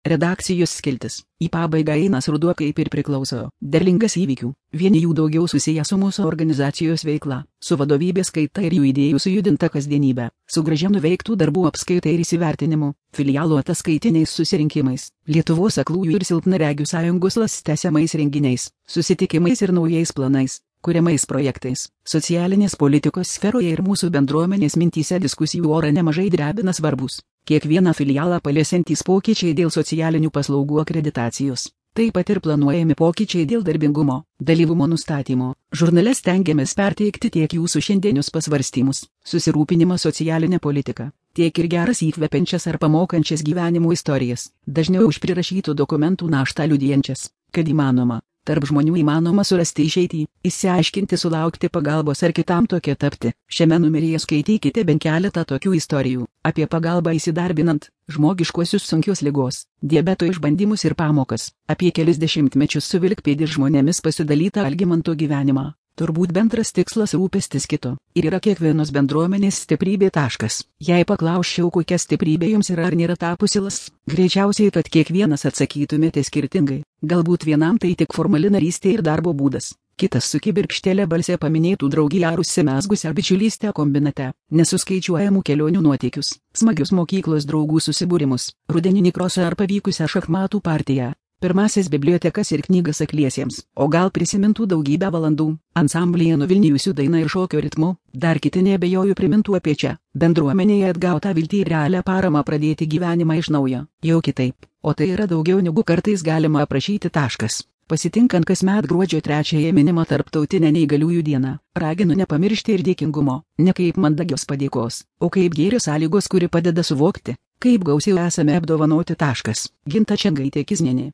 Redakcijos skiltis. Į pabaigą einas ruduo kaip ir priklauso. Derlingas įvykių. Vieni jų daugiau susiję su mūsų organizacijos veikla, su vadovybės kaita ir jų idėjų sujudinta kasdienybė, su gražia nuveiktų darbų apskaita ir įsivertinimu, filialo ataskaitiniais susirinkimais, Lietuvos aklųjų ir silpnaregių sąjungos tęsiamais renginiais, susitikimais ir naujais planais, kuriamais projektais, socialinės politikos sferoje ir mūsų bendruomenės mintyse diskusijų orą nemažai drebina svarbus, kiekvieną filialą paliesiantys pokyčiai dėl socialinių paslaugų akreditacijos. Taip pat ir planuojami pokyčiai dėl darbingumo, dalyvumo nustatymo. Žurnale stengiamės perteikti tiek jūsų šiandienius pasvarstymus, susirūpinimą socialinę politiką, tiek ir geras įkvepiančias ar pamokančias gyvenimo istorijas, dažniau už prirašytų dokumentų naštą liudijančias, kad įmanoma. Tarp žmonių įmanoma surasti išeitį, išsiaiškinti, sulaukti pagalbos ar kitam tokia tapti. Šiame numeryje skaitykite bent keletą tokių istorijų apie pagalbą įsidarbinant, žmogiškuosius sunkios ligos, diabeto išbandymus ir pamokas, apie kelis dešimtmečius su vilkpėdis žmonėmis pasidalytą Algimanto gyvenimą. Turbūt bendras tikslas rūpestis kito ir yra kiekvienos bendruomenės stiprybė taškas. Jei paklausčiau, kokia stiprybė jums yra ar nėra tapusilas, greičiausiai, kad kiekvienas atsakytumėte skirtingai. Galbūt vienam tai tik formali narystė ir darbo būdas, kitas su kibirkštėlė balse paminėtų draugiją ar užsimezgusią bičiulystę kombinate, nesuskaičiuojamų kelionių nuotykius, smagius mokyklos draugų susibūrimus, rudeninį krosą ar pavykusią šachmatų partiją. Pirmasis bibliotekas ir knygas akliesiems, o gal prisimintų daugybę valandų, ansamblyje nuvilnijusių dainą ir šokio ritmu, dar kiti neabejoju primintų apie čia, bendruomenėje atgautą viltį ir realią paramą pradėti gyvenimą iš naujo, jau kitaip, o tai yra daugiau negu kartais galima aprašyti taškas. Pasitinkant kasmet gruodžio 3-ąją minimą tarptautinę neįgaliųjų dieną, raginu nepamiršti ir dėkingumo, ne kaip mandagios padėkos, o kaip gėrio sąlygos, kuri padeda suvokti, kaip gausiai esame apdovanoti taškas. Ginta Čengaitė Kiznienė.